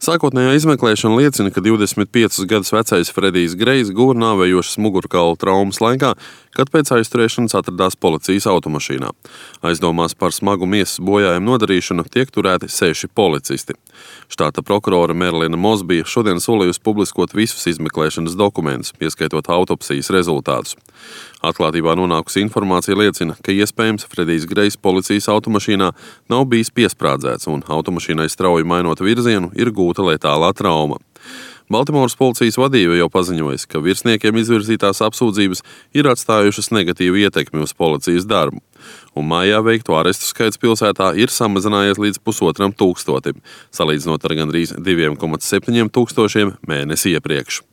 Sākotnējā izmeklēšana liecina, ka 25 gadus vecais Fredijs Grejs guva nāvējošas mugurkaula traumas laikā, kad pēc aizturēšanas atradās policijas automašīnā. Aizdomās par smagu miesas bojājumu nodarīšanu tiek turēti 6 policisti. Štāta prokurore Merlina Mosbija šodien solījusi publiskot visus izmeklēšanas dokumentus, ieskaitot autopsijas rezultātus. Atklātībā nonākusi informācija liecina, ka iespējams Fredijs Grejs policijas automašīnā nav bijis piesprādzēts un automašīnai strauji mainot virzienu ir gūta letālā trauma. Baltimoras policijas vadība jau paziņojusi, ka virsniekiem izvirzītās apsūdzības ir atstājušas negatīvu ietekmi uz policijas darbu, un mājā veikto arestu skaits pilsētā ir samazinājies līdz 1,5 tūkstotim, salīdzinot ar gandrīz 2,7 tūkstošiem mēnesi iepriekš.